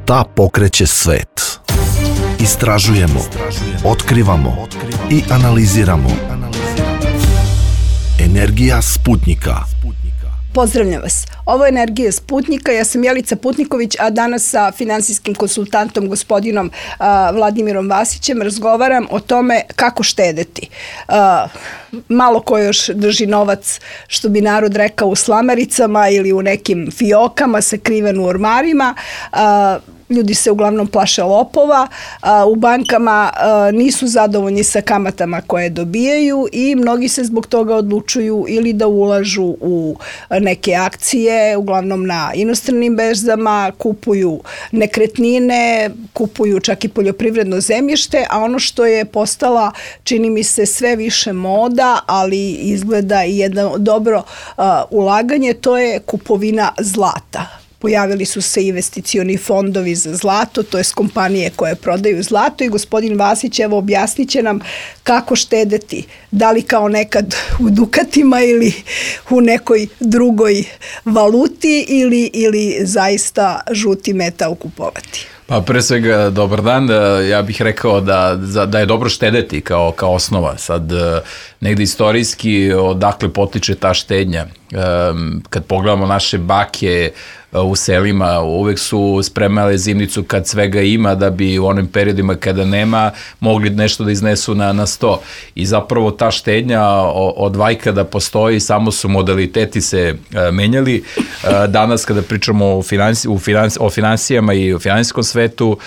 Šta pokreće svet? Istražujemo, otkrivamo i analiziramo. Energija Sputnika. Pozdravljam vas. Ovo je Energija Sputnika. Ja sam Jelica Putniković, a danas sa finansijskim konsultantom gospodinom Vladimirom Vasićem razgovaram o tome kako štedeti. Malo ko još drži novac, što bi narod rekao, u slamaricama ili u nekim fiokama sakriven u ormarima. Ljudi se uglavnom plaše lopova, u bankama nisu zadovoljni sa kamatama koje dobijaju i mnogi se zbog toga odlučuju ili da ulažu u neke akcije, uglavnom na inostranim berzama, kupuju nekretnine, kupuju čak i poljoprivredno zemljište, a ono što je postala, čini mi se, sve više moda, ali izgleda i jedno dobro ulaganje, to je kupovina zlata. Pojavili su se investicioni fondovi za zlato, to je kompanije koje prodaju zlato i gospodin Vasić evo objasnit će nam kako štedeti, da li kao nekad u dukatima ili u nekoj drugoj valuti ili zaista žuti metal kupovati. Pa pre svega, dobar dan, ja bih rekao da je dobro štedeti kao osnova. Sad, negde istorijski, odakle potiče ta štednja. Kad pogledamo naše bake u selima, uvek su spremale zimnicu kad svega ima, da bi u onim periodima kada nema mogli nešto da iznesu na sto. I zapravo ta štednja od vajka da postoji, samo su modaliteti se menjali. Danas kada pričamo o finansijama i o finansijskom svetu,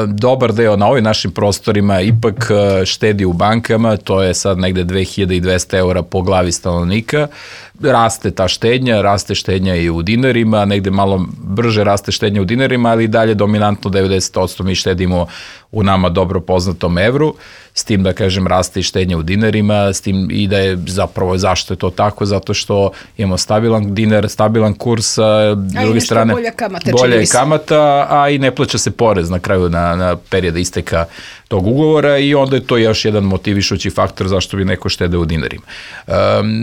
dobar deo na ovim našim prostorima ipak štedi u bankama, to je sad negde 2200 € po glavi stanovnika. Raste ta štednja, raste štednja i u dinarima, negde malo brže raste štednja u dinarima, ali i dalje dominantno 90% mi štedimo u nama dobro poznatom evru, s tim da kažem raste i štednja u dinarima, s tim i da je zapravo zašto je to tako, zato što imamo stabilan dinar, stabilan kurs, a s druge strane bolja je kamata, a i ne plaća se porez na kraju na perioda isteka tog ugovora i onda je to još jedan motivišući faktor zašto bi neko štedeo u dinarima.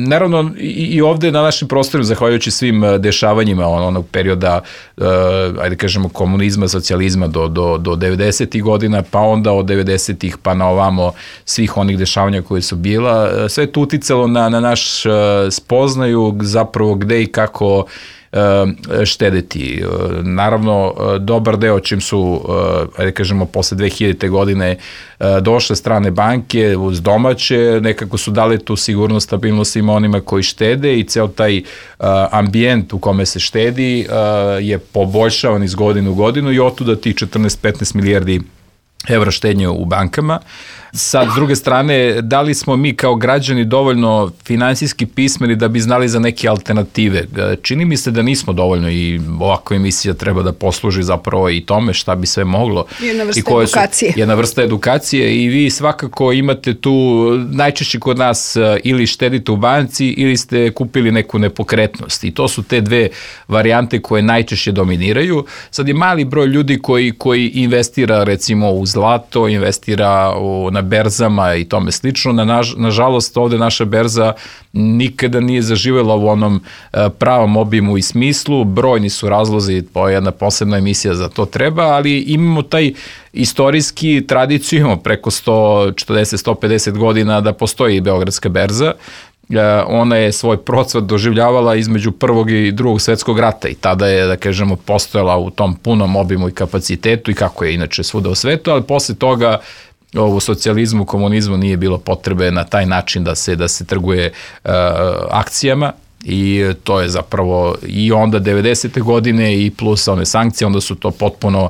Naravno i ovde na našim prostorima, zahvaljujući svim dešavanjima onog perioda, ajde kažemo komunizma, socijalizma do 90. godina, pa onda od 90-ih pa na ovamo svih onih dešavanja koje su bila, sve je to uticalo na naš spoznaju zapravo gde i kako štedeti. Naravno, dobar deo čim su, ajde kažemo, posle 2000. godine došle strane banke uz domaće, nekako su dali tu sigurnost, stabilnost svima onima koji štede i ceo taj ambijent u kome se štedi je poboljšavan iz godine u godinu i otuda ti 14-15 milijardi evra štednje u bankama. Sad, s druge strane, da li smo mi kao građani dovoljno finansijski pismeni da bi znali za neke alternative? Čini mi se da nismo dovoljno i ovakva emisija treba da posluži zapravo i tome šta bi sve moglo. Jedna vrsta edukacije. Jedna vrsta edukacije i vi svakako imate tu, najčešće kod nas ili štedite u banci ili ste kupili neku nepokretnost i to su te dve varijante koje najčešće dominiraju. Sad je mali broj ljudi koji investira recimo u zlato, investira na berzama i tome slično. Nažalost, ovde naša berza nikada nije zaživela u onom pravom obimu i smislu. Brojni su razlozi, to je jedna posebna emisija za to treba, ali imamo taj istorijski tradiciju, imamo preko 140-150 godina da postoji Beogradska berza. Ona je svoj procvat doživljavala između Prvog i Drugog svetskog rata i tada je, da kažemo, postojala u tom punom obimu i kapacitetu i kako je inače svuda u svetu, ali posle toga u socijalizmu, komunizmu nije bilo potrebe na taj način da se trguje akcijama i to je zapravo i onda 90. godine i plus one sankcije, onda su to potpuno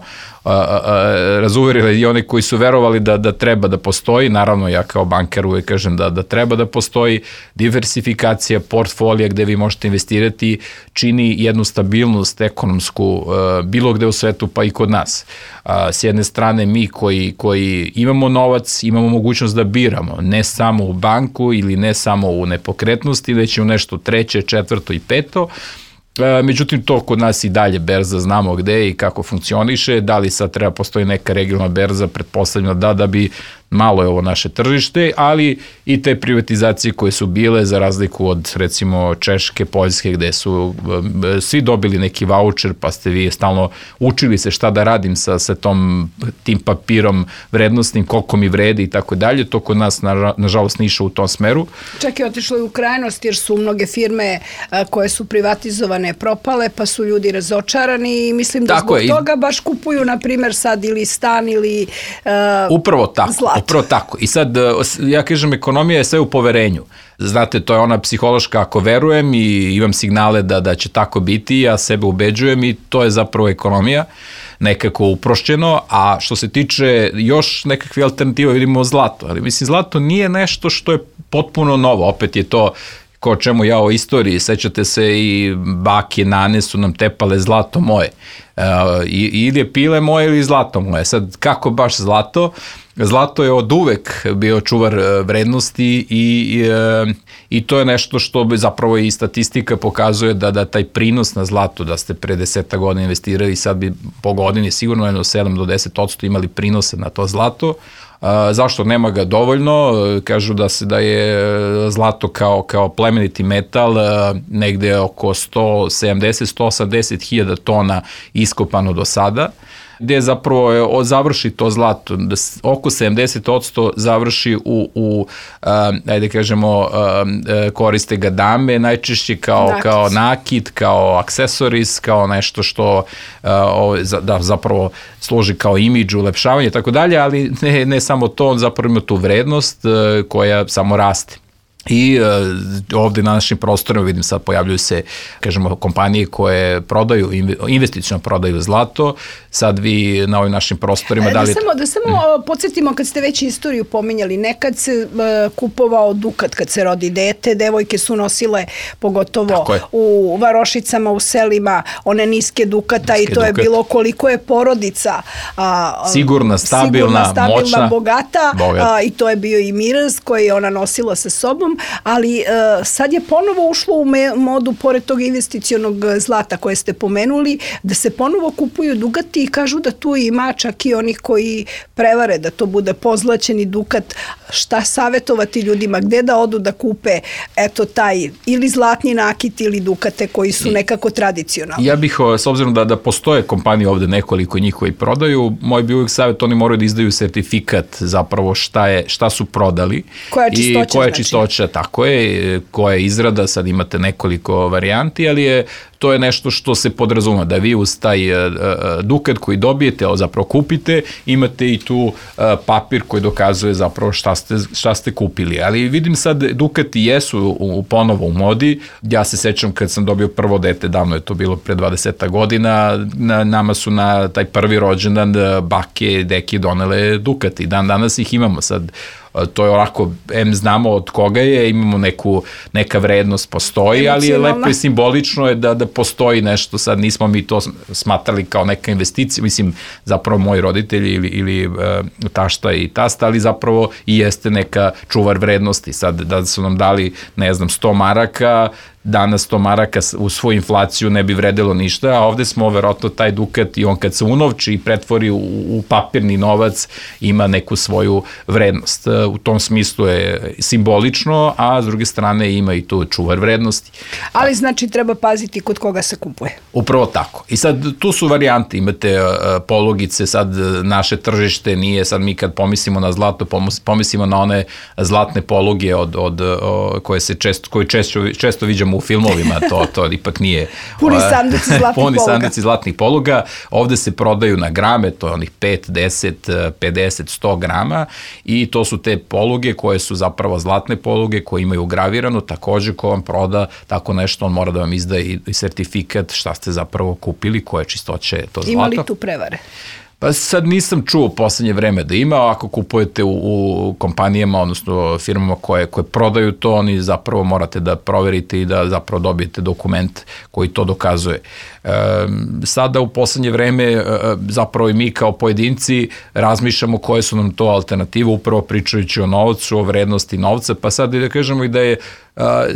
razuverili i oni koji su verovali da treba da postoji, naravno ja kao bankar uvek kažem da treba da postoji diversifikacija portfolija gde vi možete investirati, čini jednu stabilnost ekonomsku bilo gde u svetu pa i kod nas. S jedne strane mi koji imamo novac, imamo mogućnost da biramo, ne samo u banku ili ne samo u nepokretnosti, već i u nešto treće, četvrto i peto. Međutim, to kod nas i dalje berza, znamo gde i kako funkcioniše, da li sad treba postoji neka regionalna berza, pretpostavljeno da bi malo je ovo naše tržište, ali i te privatizacije koje su bile za razliku od recimo Češke, Poljske, gde su svi dobili neki vaučer, pa ste vi stalno učili se šta da radim sa tim papirom vrednostnim, koliko mi vredi i tako dalje. To kod nas nažalost nije išao u tom smeru. Čak je otišlo i u krajnost jer su mnoge firme koje su privatizovane propale, pa su ljudi razočarani i mislim da zbog toga baš kupuju, na primjer, sad ili stan ili upravo tako, zlato. Upravo tako. I sad, ja kažem, ekonomija je sve u poverenju. Znate, to je ona psihološka, ako verujem i imam signale da će tako biti, ja sebe ubeđujem i to je zapravo ekonomija, nekako uprošćeno, a što se tiče još nekakve alternative, vidimo zlato, ali mislim, zlato nije nešto što je potpuno novo, opet je to ko čemu ja o istoriji, sećate se i bake, nane su nam tepale zlato moje, ili je pile moje ili zlato moje, sad kako baš zlato? Zlato je od uvek bio čuvar vrednosti i to je nešto što bi zapravo i statistika pokazuje da taj prinos na zlato, da ste pre 10 godina investirali, sad bi po godini sigurno jedno 7 do 10% imali prinose na to zlato. Zašto nema ga dovoljno? Kažu da je zlato kao plemeniti metal negde oko 170-180 hiljada tona iskopano do sada, gde zapravo završi to zlato, da oko 70% završi ajde kažemo, koriste ga dame, najčešće kao nakit, kao aksesoris, kao nešto što zapravo služi kao imidž, ulepšavanje i tako dalje, ali ne samo to, on zapravo ima tu vrednost koja samo raste. I ovde na našim prostorima vidim sad pojavljuju se, kažemo, kompanije koje prodaju, investiciono prodaju zlato, sad vi na ovim našim prostorima... Da samo podsjetimo, kad ste već istoriju pominjali, nekad se kupovao dukat kad se rodi dete, devojke su nosile, pogotovo u varošicama, u selima, one niske dukata i to je bilo koliko je porodica sigurna, stabilna, moćna, bogata i to je bio i miraz koji je ona nosila sa sobom, ali sad je ponovo ušlo u modu, pored tog investicionog zlata koje ste pomenuli, da se ponovo kupuju dukati i kažu da tu ima čak i onih koji prevare da to bude pozlaćeni dukat. Šta savjetovati ljudima, gde da odu da kupe taj ili zlatni nakit ili dukate koji su nekako tradicionalni? Ja bih, s obzirom da postoje kompanije ovde, nekoliko njih koji prodaju, moj bi uvijek savjet, oni moraju da izdaju sertifikat zapravo šta su prodali. Koja je čistoća, tako je, koja je izrada, sad imate nekoliko varijanti, ali to je nešto što se podrazuma, da vi uz taj dukat koji dobijete, zapravo kupite, imate i tu papir koji dokazuje zapravo šta ste kupili. Ali vidim sad, dukati jesu ponovo u modi. Ja se sećam kad sam dobio prvo dete, davno je to bilo pre 20 godina, nama su na taj prvi rođendan bake, deke donele dukati. Danas ih imamo sad. To je onako, znamo od koga je, imamo neka vrednost postoji, ali je lepo i simbolično je da postoji nešto, sad nismo mi to smatrali kao neka investicija, mislim, zapravo moji roditelji ili tašta i tasta, ali zapravo i jeste neka čuvar vrednosti, sad da su nam dali, ne znam, 100 maraka, danas 100 maraka u svoju inflaciju ne bi vredelo ništa, a ovde smo verovatno taj dukat i on kad se unovči i pretvori u papirni novac ima neku svoju vrednost. U tom smislu je simbolično, a s druge strane ima i tu čuvar vrednosti. Ali znači treba paziti kod koga se kupuje. Upravo tako. I sad tu su varijante, imate polugice, sad naše tržište nije, sad mi kad pomislimo na zlato, pomislimo na one zlatne poluge koje često viđamo u filmovima, to ipak nije puni sanduci zlatnih poluga. Ovde se prodaju na grame, to je onih 5, 10, 50, 100 grama i to su te poluge koje su zapravo zlatne poluge koje imaju ugravirano, takođe ko vam proda tako nešto, on mora da vam izda i sertifikat šta ste zapravo kupili, koje čistoće to zlato. Ima li tu prevare? Pa sad nisam čuo u poslednje vreme da ima, ako kupujete u kompanijama, odnosno firmama koje prodaju to, oni zapravo morate da proverite i da zapravo dobijete dokument koji to dokazuje. Sada u poslednje vreme zapravo i mi kao pojedinci razmišljamo koje su nam to alternative, upravo pričajući o novcu, o vrednosti novca, pa sad da kažemo i da je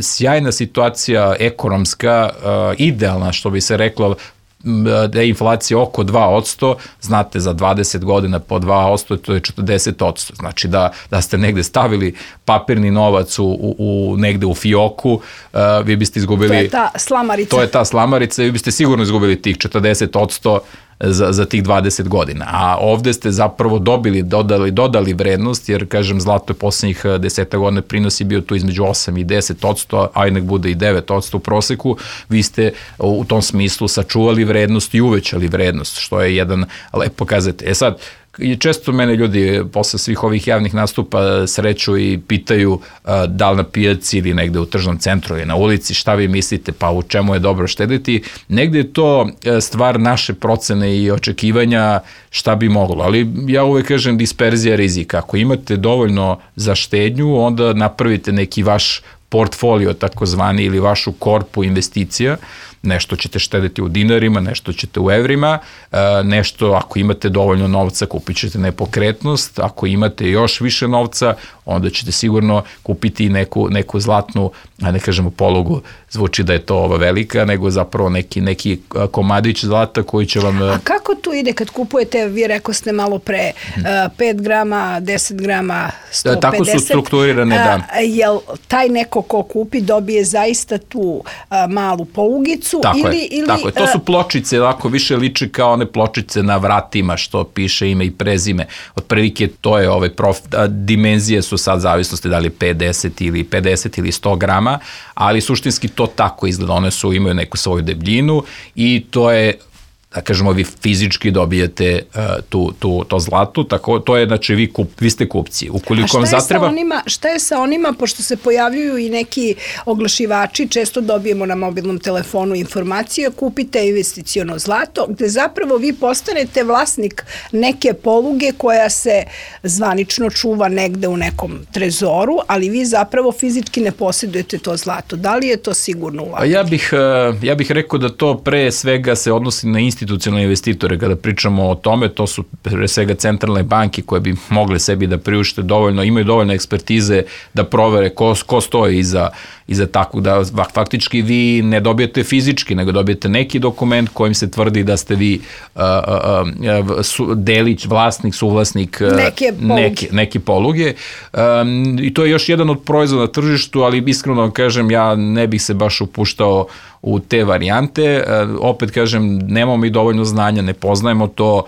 sjajna situacija ekonomska, idealna što bi se reklo, da je inflacija oko 2%, znate za 20 godina po 2%, to je 40%. Znači da ste negde stavili papirni novac negde u fioku, vi biste izgubili... To je ta slamarica. To je ta slamarica i vi biste sigurno izgubili tih 40% za tih 20 godina. A ovde ste zapravo dodali vrednost, jer, kažem, zlato je poslednjih 10 godina prinosi bio tu između 8 i 10%, a nek bude i 9% u proseku. Vi ste u tom smislu sačuvali vrednost i uvećali vrednost, što je jedan lep pokazatelj. Sad, često mene ljudi posle svih ovih javnih nastupa sreću i pitaju da li na pijaci ili negde u tržnom centru ili na ulici, šta vi mislite, pa u čemu je dobro štediti. Negde je to stvar naše procene i očekivanja šta bi moglo, ali ja uvek kažem disperzija rizika. Ako imate dovoljno za štednju, onda napravite neki vaš portfolio takozvani ili vašu korpu investicija, nešto ćete štediti u dinarima, nešto ćete u evrima, nešto ako imate dovoljno novca kupit ćete nepokretnost, ako imate još više novca, onda ćete sigurno kupiti neku zlatnu, a ne kažemo polugu, zvuči da je to velika, nego zapravo neki komadić zlata koji će vam... A kako tu ide kad kupujete, vi rekao ste malo pre, 5 grama, 10 grama, 150? Tako su strukturirane, da. Jel taj neko ko kupi dobije zaista tu malu polugicu? Tako je, to su pločice, ako više liči kao one pločice na vratima što piše ime i prezime. Otprilike to je dimenzije su sad zavisnosti da li 50 ili 100 grama, ali suštinski to tako izgleda, one imaju neku svoju debljinu i to je, da kažemo, vi fizički dobijete to zlato, tako, to je, znači, vi ste kupci. Ukoliko vam zatreba... Šta je sa onima, pošto se pojavljuju i neki oglašivači, često dobijemo na mobilnom telefonu informacije, kupite investiciono zlato, gde zapravo vi postanete vlasnik neke poluge koja se zvanično čuva negde u nekom trezoru, ali vi zapravo fizički ne posjedujete to zlato. Da li je to sigurno ulaganje? Ja bih rekao da to pre svega se odnosi na institucionalne investitore. Kada pričamo o tome, to su pre svega centralne banke koje bi mogle sebi da priušte dovoljno, imaju dovoljno ekspertize da provere ko stoji iza takvog, da faktički vi ne dobijete fizički, nego dobijete neki dokument kojim se tvrdi da ste vi delić, vlasnik, suvlasnik neke poluge. I to je još jedan od proizvoda na tržištu, ali iskreno vam kažem, ja ne bih se baš upuštao u te varijante. Opet kažem, nemamo mi dovoljno znanja, ne poznajemo to,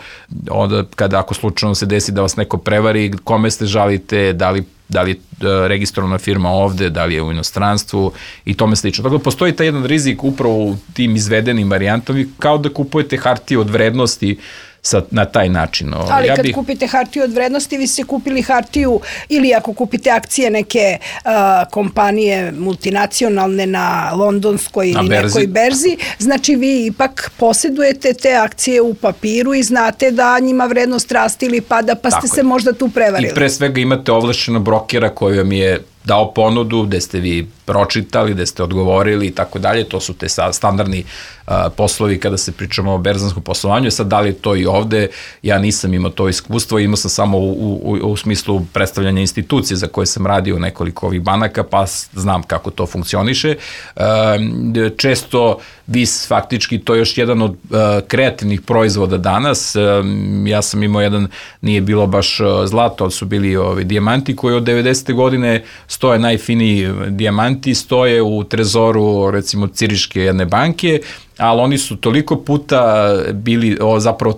onda ako slučajno se desi da vas neko prevari, kome ste žalite, da li je registrovana firma ovde, da li je u inostranstvu i tome slično. Tako da postoji taj jedan rizik upravo u tim izvedenim varijantama, kao da kupujete hartije od vrednosti na taj način. Ali kad kupite hartiju od vrednosti, vi ste kupili hartiju, ili ako kupite akcije neke kompanije multinacionalne na londonskoj ili nekoj berzi, znači vi ipak posjedujete te akcije u papiru i znate da njima vrednost raste ili pada, pa ste se možda tu prevarili. I pre svega imate ovlašćenog brokera koji vam je dao ponudu, gde ste vi pročitali, gde ste odgovorili i tako dalje, to su te standardni poslovi kada se pričamo o berzanskom poslovanju. Sad, da li je to i ovde, ja nisam imao to iskustvo, imao sam samo u smislu predstavljanja institucije za koje sam radio nekoliko ovih banaka, pa znam kako to funkcioniše. Često vi faktički, to je još jedan od kreativnih proizvoda danas, ja sam imao jedan, nije bilo baš zlato, ali su bili dijamanti koji od 90. godine stoje, najfiniji dijamanti, stoje u trezoru, recimo, Ciriške jedne banke, ali oni su toliko puta bili zapravo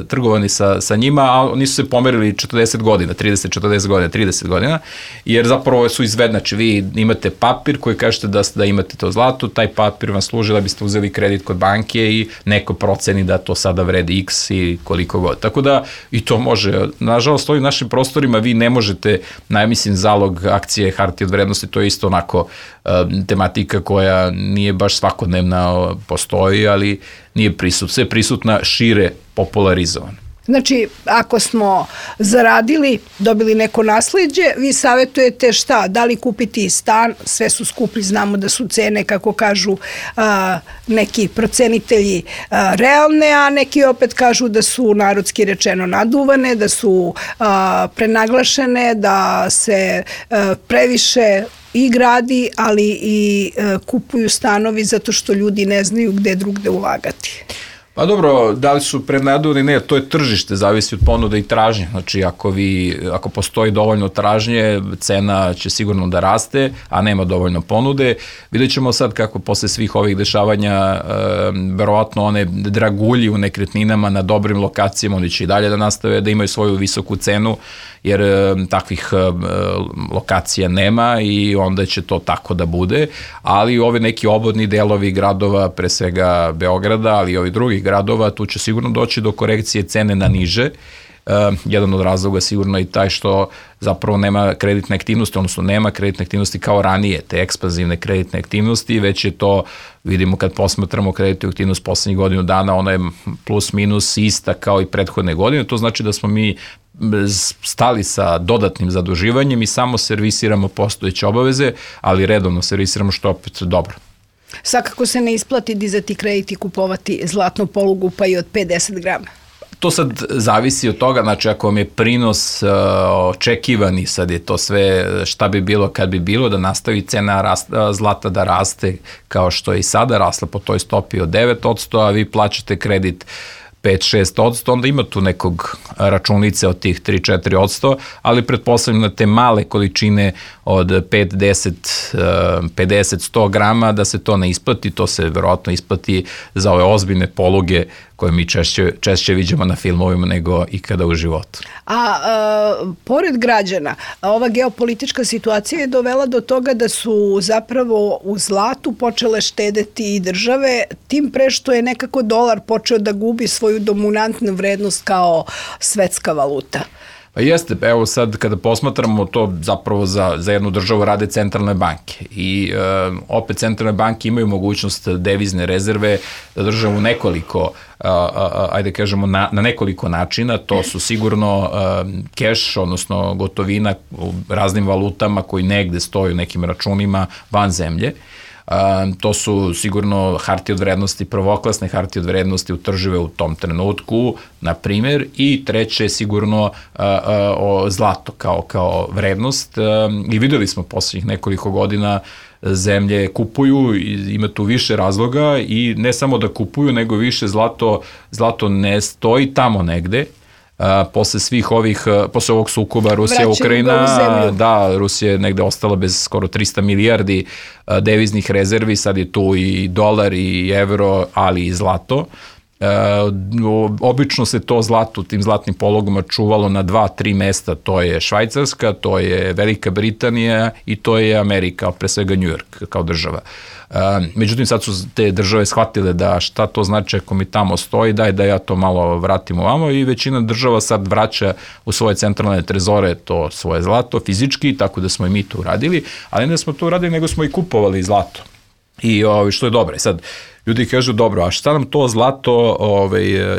trgovani sa njima, a oni su se pomerili 40 godina, 30-40 godina, 30 godina, jer zapravo su znači vi imate papir koji kažete da imate to zlato, taj papir vam služi da biste uzeli kredit kod banke i neko proceni da to sada vredi x i koliko god. Tako da i to može. Nažalost, ovim našim prostorima vi ne možete, mislim, zalog akcije hartije od vrednosti, to je isto onako tematika koja nije baš svakodnevna, postoji, ali nije prisutna. Sve prisutna, šire popularizovana. Znači, ako smo zaradili, dobili neko nasleđe, vi savjetujete šta? Da li kupiti stan? Sve su skupi, znamo da su cene, kako kažu neki procenitelji, realne, a neki opet kažu da su, narodski rečeno, naduvane, da su prenaglašene, da se previše i gradi, ali i kupuju stanovi zato što ljudi ne znaju gde drugde ulagati. Pa dobro, da li su prenaduvani, ne, to je tržište, zavisi od ponude i tražnje. Znači, ako postoji dovoljno tražnje, cena će sigurno da raste, a nema dovoljno ponude. Vidjet ćemo sad kako posle svih ovih dešavanja, verovatno one dragulji u nekretninama na dobrim lokacijama, oni će i dalje da nastave da imaju svoju visoku cenu, jer takvih lokacija nema i onda će to tako da bude, ali ove neki obodni delovi gradova, pre svega Beograda, ali i ovih drugih gradova, tu će sigurno doći do korekcije cene na niže. Jedan od razloga sigurno i taj što zapravo nema kreditne aktivnosti, odnosno nema kreditne aktivnosti kao ranije, te ekspanzivne kreditne aktivnosti, već je to, vidimo kad posmatramo kreditnu aktivnost poslednjih godinu dana, ona je plus minus ista kao i prethodne godine, to znači da smo mi stali sa dodatnim zaduživanjem i samo servisiramo postojeće obaveze, ali redovno servisiramo, što opet dobro. Svakako se ne isplati dizati kredit i kupovati zlatnu polugu pa i od 50 grama. To sad zavisi od toga, znači ako vam je prinos očekivani, sad je to sve šta bi bilo kad bi bilo, da nastavi cena zlata da raste kao što je i sada rasla po toj stopi od 9%, a vi plaćate kredit 5-6%, onda ima tu nekog računice od tih 3-4%, ali pretpostavljam na te male količine od 5, 10, 50, 100 grama da se to ne isplati, to se verovatno isplati za ove ozbiljne poluge koje mi češće vidimo na filmovima nego ikada u životu. Pored građana, ova geopolitička situacija je dovela do toga da su zapravo u zlatu počele štedeti i države, tim pre što je nekako dolar počeo da gubi svoju dominantnu vrednost kao svetska valuta. Pa jeste, evo sad kada posmatramo to zapravo za jednu državu rade centralne banke i opet centralne banke imaju mogućnost devizne rezerve da drže u nekoliko, ajde kažemo na nekoliko načina, to su sigurno keš, odnosno gotovina u raznim valutama koji negde stoju nekim računima van zemlje. To su sigurno hartije od vrednosti, prvoklasne hartije od vrednosti utržive u tom trenutku, na primjer, i treće je sigurno zlato kao vrednost. I videli smo poslednjih nekoliko godina zemlje kupuju, ima tu više razloga i ne samo da kupuju, nego više zlato ne stoji tamo negde. Posle ovog sukoba Rusija-Ukrajina, da, Rusija je negde ostala bez skoro 300 milijardi deviznih rezervi, sad je tu i dolar i evro, ali i zlato. Obično se to zlato, tim zlatnim pologama čuvalo na 2-3 mesta, to je Švajcarska, to je Velika Britanija i to je Amerika, pre svega New York kao država. Međutim, sad su te države shvatile da šta to znači ako mi tamo stoji, daj da ja to malo vratim ovamo i većina država sad vraća u svoje centralne trezore to svoje zlato fizički, tako da smo i mi to uradili, ali ne smo to uradili, nego smo i kupovali zlato. I što je dobro. Sad, ljudi kažu, dobro, a šta nam to zlato,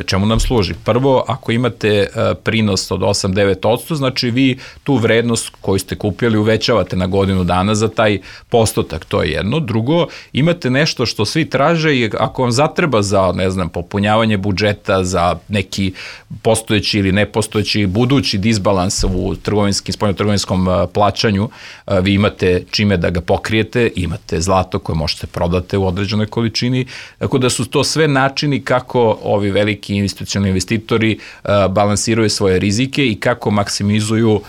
čemu nam služi? Prvo, ako imate prinos od 8-9%, znači vi tu vrednost koju ste kupili uvećavate na godinu dana za taj postotak, to je jedno. Drugo, imate nešto što svi traže i ako vam zatreba za, ne znam, popunjavanje budžeta, za neki postojeći ili nepostojeći budući disbalans u spoljnotrgovinskom plaćanju, vi imate čime da ga pokrijete, imate zlato koje možete prodate u određenoj količini. Tako da su to sve načini kako ovi veliki institucionalni investitori balansiraju svoje rizike i kako maksimizuju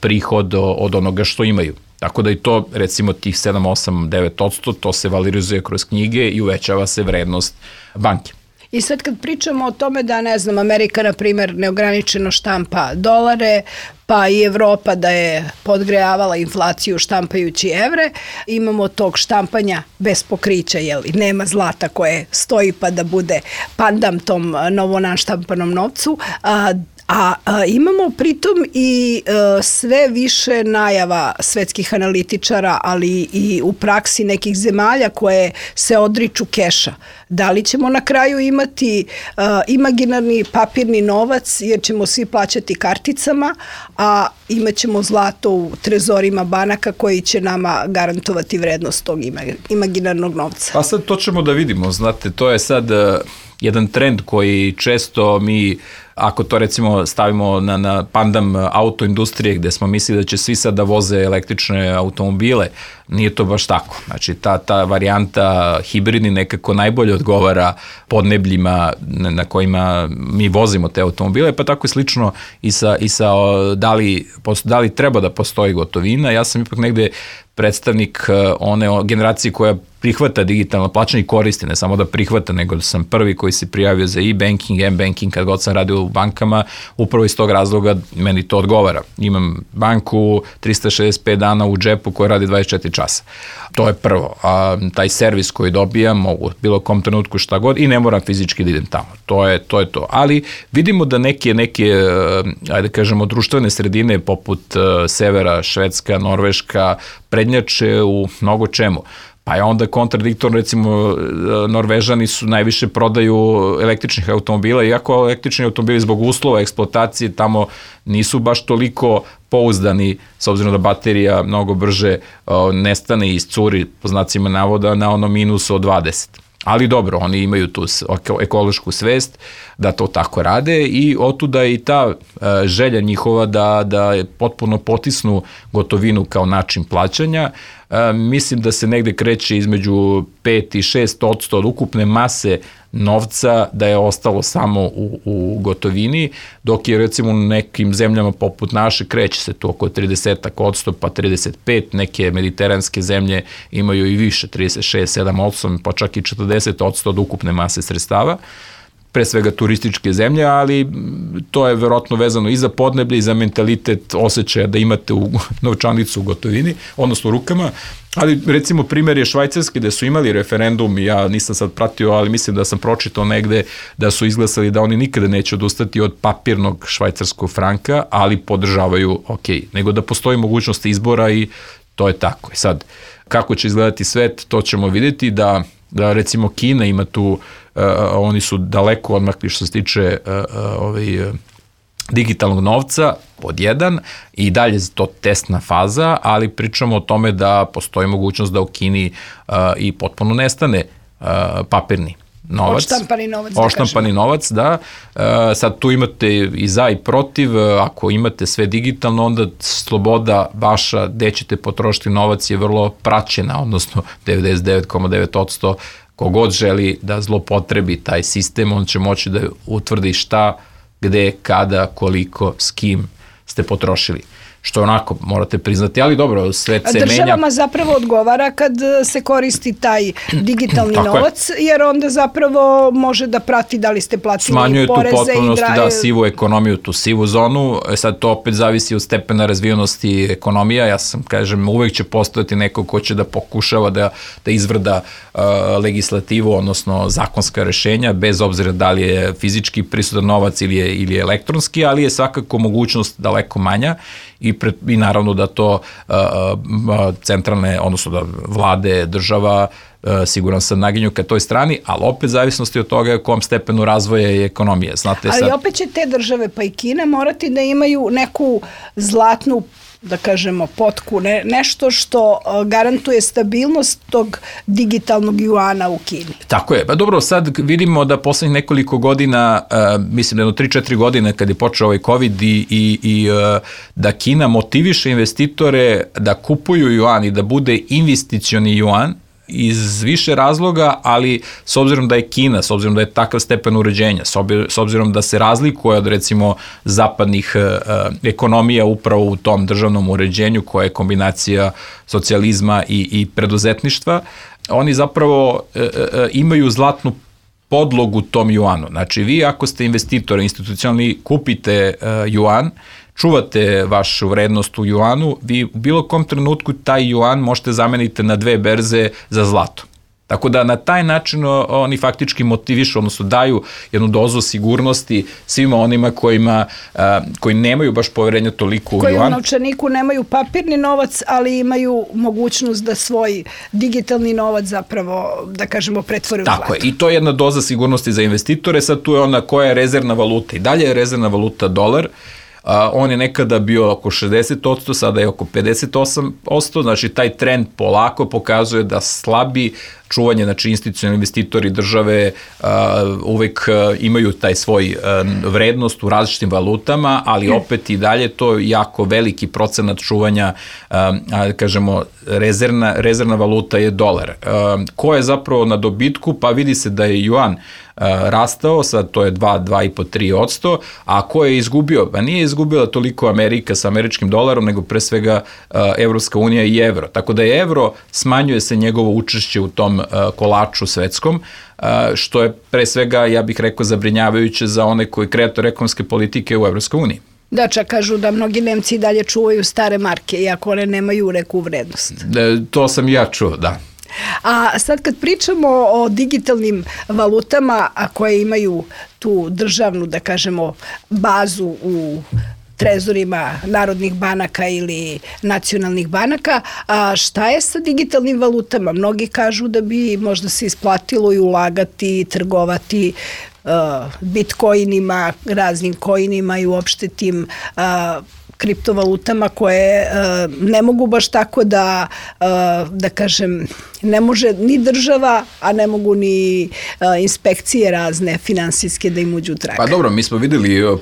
prihod od onoga što imaju. Tako da i to, recimo tih 7, 8, 9%, to se valorizuje kroz knjige i uvećava se vrednost banke. I sad kad pričamo o tome da, ne znam, Amerika, na primjer, neograničeno štampa dolare, pa i Evropa da je podgrejavala inflaciju štampajući evre, imamo tog štampanja bez pokrića, nema zlata koje stoji pa da bude pandam tom novo naštampanom novcu, a imamo pritom i sve više najava svetskih analitičara, ali i u praksi nekih zemalja koje se odriču keša. Da li ćemo na kraju imati imaginarni papirni novac jer ćemo svi plaćati karticama, a imat ćemo zlato u trezorima banaka koji će nama garantovati vrednost tog imaginarnog novca? Pa sad to ćemo da vidimo, znate, to je sad jedan trend koji često mi, ako to recimo stavimo na pandam autoindustrije gde smo mislili da će svi sad da voze električne automobile, nije to baš tako. Znači ta varijanta hibridni nekako najbolje odgovara podnebljima na kojima mi vozimo te automobile, pa tako je slično i sa da li treba da postoji gotovina. Ja sam ipak negde predstavnik one generacije koja prihvata digitalno plaćanje i koristi, ne samo da prihvata, nego da sam prvi koji se prijavio za e-banking, m-banking, kad god sam radio u bankama, upravo iz tog razloga meni to odgovara. Imam banku 365 dana u džepu koja radi 24 časa. To je prvo. A taj servis koji dobijam, mogu bilo kom trenutku šta god i ne moram fizički da idem tamo. To je to. Ali vidimo da neke ajde kažemo, društvene sredine poput severa, Švedska, Norveška, prednjače u mnogo čemu. Pa je onda kontradiktorno, recimo, Norvežani su najviše prodaju električnih automobila, iako električni automobili zbog uslova eksploatacije tamo nisu baš toliko pouzdani, s obzirom da baterija mnogo brže nestane i iscuri, po znacima navoda, na ono minusu od 20. Ali dobro, oni imaju tu ekološku svest da to tako rade i otuda i ta želja njihova da potpuno potisnu gotovinu kao način plaćanja. Mislim da se negde kreće između 5 i 6% od ukupne mase novca da je ostalo samo u gotovini, dok je recimo u nekim zemljama poput naše kreće se to oko 30% pa 35%, neke mediteranske zemlje imaju i više, 36, 7, 8, pa čak i 40% od ukupne mase sredstava, pre svega turističke zemlje, ali to je verovatno vezano i za podneblje i za mentalitet osjećaja da imate u novčanicu u gotovini, odnosno u rukama, ali recimo primjer je Švajcarske gde su imali referendum, ja nisam sad pratio, ali mislim da sam pročitao negde da su izglasali da oni nikada neće odustati od papirnog švajcarskog franka, ali podržavaju nego da postoji mogućnost izbora i to je tako. I sad, kako će izgledati svet, to ćemo vidjeti da recimo Kina ima tu, oni su daleko odmakli što se tiče digitalnog novca, pod jedan, i dalje to testna faza, ali pričamo o tome da postoji mogućnost da u Kini i potpuno nestane papirni novac. Odštampani novac, da. Sad tu imate i za i protiv, ako imate sve digitalno, onda sloboda vaša gde ćete potrošiti novac je vrlo praćena, odnosno 99,9% kogod želi da zlopotrebi taj sistem, on će moći da utvrdi šta, gde, kada, koliko, s kim ste potrošili. Što onako morate priznati, ali dobro, svet se menja. Državama zapravo odgovara kad se koristi taj digitalni novac, jer onda zapravo može da prati da li ste platili poreze i smanjuje tu potpunosti, sivu ekonomiju, tu sivu zonu. Sad to opet zavisi od stepena razvijenosti ekonomija. Ja sam, kažem, uvek će postojati neko ko će da pokušava da izvrda legislativu, odnosno zakonska rešenja, bez obzira da li je fizički prisutan novac ili je elektronski, ali je svakako mogućnost daleko manja i naravno da to centralne, odnosno da vlade, država, siguran sam naginju ka toj strani, ali opet zavisnosti od toga u kom stepenu razvoja i ekonomije. Znate, ali opet će te države, pa i Kina, morati da imaju neku zlatnu, da kažemo, potku, nešto što garantuje stabilnost tog digitalnog juana u Kini. Tako je. Pa dobro, sad vidimo da poslednjih nekoliko godina, mislim da jedno 3-4 godine kad je počeo ovaj COVID i da Kina motiviše investitore da kupuju juan i da bude investicioni juan, iz više razloga, ali s obzirom da je Kina, s obzirom da je takav stepen uređenja, s obzirom da se razlikuje od recimo zapadnih ekonomija upravo u tom državnom uređenju koja je kombinacija socijalizma i preduzetništva, oni zapravo imaju zlatnu podlogu tom juanu. Znači vi ako ste investitor institucionalni, kupite juan, čuvate vašu vrednost u juanu, vi u bilo kom trenutku taj juan možete zameniti na 2 berze za zlato. Tako da na taj način oni faktički motivišu, odnosno daju jednu dozu sigurnosti svima onima koji nemaju baš poverenja toliko u juan. Koji u novčaniku nemaju papirni novac, ali imaju mogućnost da svoj digitalni novac zapravo, da kažemo, pretvore u zlato. Tako je, i to je jedna doza sigurnosti za investitore. Sad tu je ona koja je rezervna valuta. I dalje je rezervna valuta dolar, On je nekada bio oko 60%, sada je oko 58%, znači taj trend polako pokazuje da slabi čuvanje, znači institucionalni investitori države uvek imaju taj svoj vrednost u različitim valutama, ali opet i dalje to jako veliki procenat čuvanja, kažemo, rezervna valuta je dolar. Ko je zapravo na dobitku? Pa vidi se da je juan rastao, sad to je 2,5-3%, a ko je izgubio? Pa nije izgubila toliko Amerika sa američkim dolarom, nego pre svega Evropska unija i evro. Tako da je evro, smanjuje se njegovo učešće u tom kolaču svetskom, što je pre svega, ja bih rekao, zabrinjavajuće za one koji kreator ekonomske politike u Evropskoj uniji. Da, čak kažu da mnogi Nemci dalje čuvaju stare marke, iako one nemaju neku vrednost. To sam ja čuo, da. A sad kad pričamo o digitalnim valutama, a koje imaju tu državnu, da kažemo, bazu u trezorima narodnih banaka ili nacionalnih banaka, a šta je sa digitalnim valutama? Mnogi kažu da bi možda se isplatilo i ulagati, trgovati bitcoinima, raznim coinima i uopšte tim kriptovalutama koje ne mogu baš tako da kažem, ne može ni država, a ne mogu ni inspekcije razne finansijske da im uđu u trag. Pa dobro, mi smo videli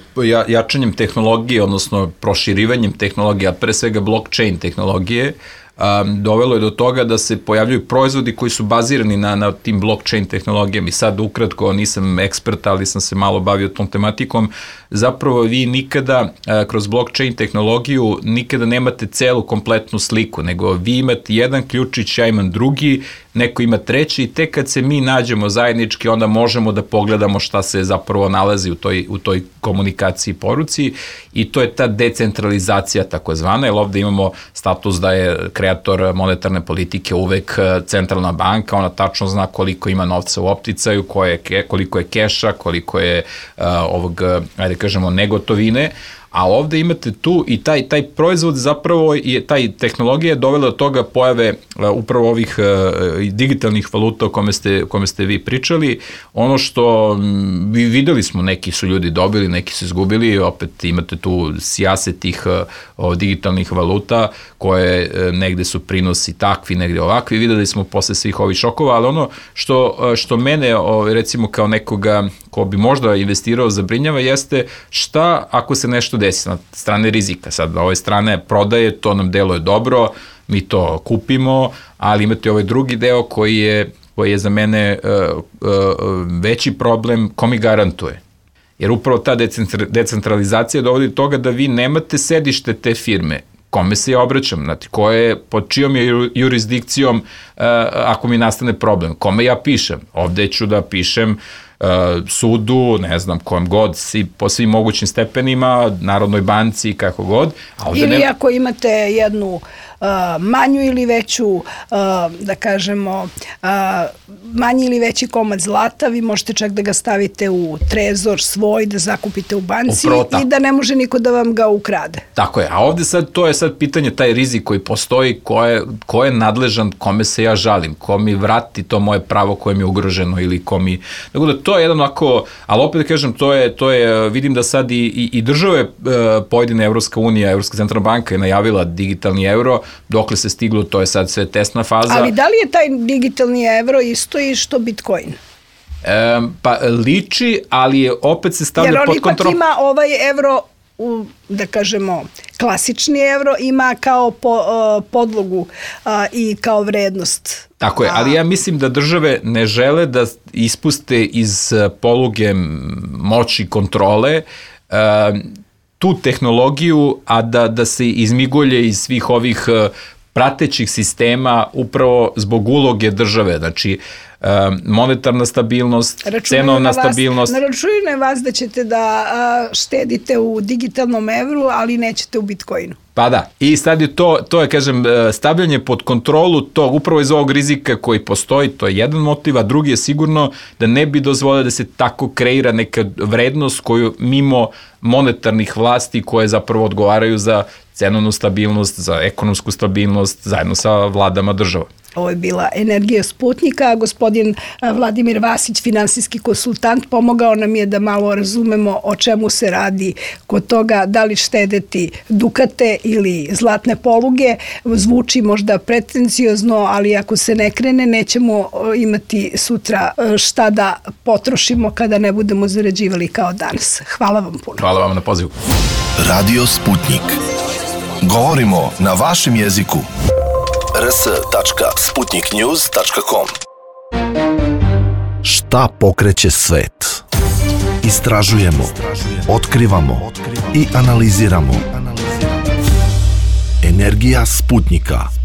jačanjem tehnologije, odnosno proširivanjem tehnologije, a pre svega blockchain tehnologije, dovelo je do toga da se pojavljuju proizvodi koji su bazirani na tim blockchain tehnologijama. I sad ukratko, nisam ekspert, ali sam se malo bavio tom tematikom, zapravo vi nikada kroz blockchain tehnologiju nikada nemate celu kompletnu sliku, nego vi imate jedan ključić, ja imam drugi, neko ima treći i tek kad se mi nađemo zajednički, onda možemo da pogledamo šta se zapravo nalazi u toj komunikaciji i poruci i to je ta decentralizacija takozvana, jer ovde imamo status da je kreator monetarne politike uvek centralna banka, ona tačno zna koliko ima novca u opticaju, koliko je keša, koliko je ajde kažemo, negotovine, a ovde imate tu i taj proizvod zapravo je, taj tehnologija je dovela do toga pojave upravo ovih digitalnih valuta o kome ste vi pričali. Ono što videli smo, neki su ljudi dobili, neki su izgubili, opet imate tu sjase tih digitalnih valuta koje negde su prinosi takvi, negde ovakvi, videli smo posle svih ovih šokova, ali ono što mene recimo kao nekoga ko bi možda investirao zabrinjava jeste šta ako se nešto desi na strane rizika. Sad, na ove strane prodaje, to nam deluje dobro, mi to kupimo, ali imate ovaj drugi deo koji je za mene veći problem, ko mi garantuje. Jer upravo ta decentralizacija dovodi do toga da vi nemate sedište te firme. Kome se ja obraćam, znači, pod čijom je jurisdikcijom ako mi nastane problem, kome ja pišem. Ovde ću da pišem sudu, ne znam, kojem god, po svim mogućim stepenima, Narodnoj banci, kako god. Ili ako imate jednu manju ili veću, da kažemo, manji ili veći komad zlata, vi možete čak da ga stavite u trezor svoj, da zakupite u banci i da ne može niko da vam ga ukrade. Tako je, a ovde sad, to je sad pitanje, taj rizik koji postoji, ko je nadležan, kome se ja žalim, ko mi vrati to moje pravo koje mi je ugroženo ili ko mi... Tako da to je jedan ovako, ali opet da kažem, to je, vidim da sad i države pojedine Evropska unija, Evropska centralna banka je najavila digitalni euro, dokle se stiglo, to je sad sve testna faza. Ali da li je taj digitalni evro isto i što Bitcoin? Pa liči, ali je opet se stavlja pod kontrol. Jer on ipak ima ovaj evro, da kažemo, klasični evro, ima kao podlogu i kao vrednost. Tako je, ali ja mislim da države ne žele da ispuste iz poluge moći kontrole tu tehnologiju, a da se izmigolje iz svih ovih pratećih sistema upravo zbog uloge države, znači monetarna stabilnost, cenovna stabilnost. Ne računaju na vas da ćete da štedite u digitalnom evru, ali nećete u Bitcoinu. Pa da, i sad je to je, kažem, stavljanje pod kontrolu tog, upravo iz ovog rizika koji postoji, to je jedan motiv, a drugi je sigurno da ne bi dozvolio da se tako kreira neka vrednost koju mimo monetarnih vlasti koje zapravo odgovaraju za cenovnu stabilnost, za ekonomsku stabilnost zajedno sa vladama država. Ovo je bila Energija Sputnika. Gospodin Vladimir Vasić, finansijski konsultant, pomogao nam je da malo razumemo o čemu se radi kod toga, da li štedeti dukate ili zlatne poluge. Zvuči možda pretenciozno, ali ako se ne krene, nećemo imati sutra šta da potrošimo kada ne budemo zarađivali kao danas. Hvala vam puno. Hvala vam na pozivu. Radio Sputnik. Govorimo na vašem jeziku. rs.sputniknews.com. Šta pokreće svet? Istražujemo, otkrivamo i analiziramo. Energija Sputnika.